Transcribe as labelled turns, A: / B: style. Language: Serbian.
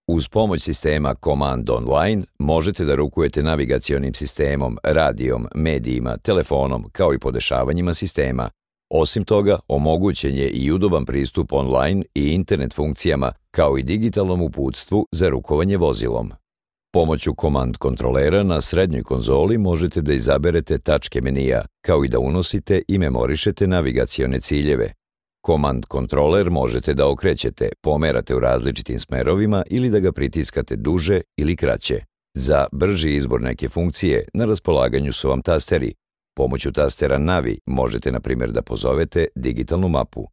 A: Uz pomoć sistema Command Online možete da rukujete navigacionim sistemom, radijom, medijima, telefonom, kao i podešavanjima sistema. Osim toga, omogućen je i udoban pristup online i internet funkcijama, kao i digitalnom uputstvu za rukovanje vozilom. Pomoću komand kontrolera na srednjoj konzoli možete da izaberete tačke menija, kao i da unosite i memorišete navigacione ciljeve. Komand kontroler možete da okrećete, pomerate u različitim smerovima ili da ga pritiskate duže ili kraće. Za brži izbor neke funkcije na raspolaganju su vam tasteri. Pomoću tastera Navi možete, na primjer, da pozovete digitalnu mapu.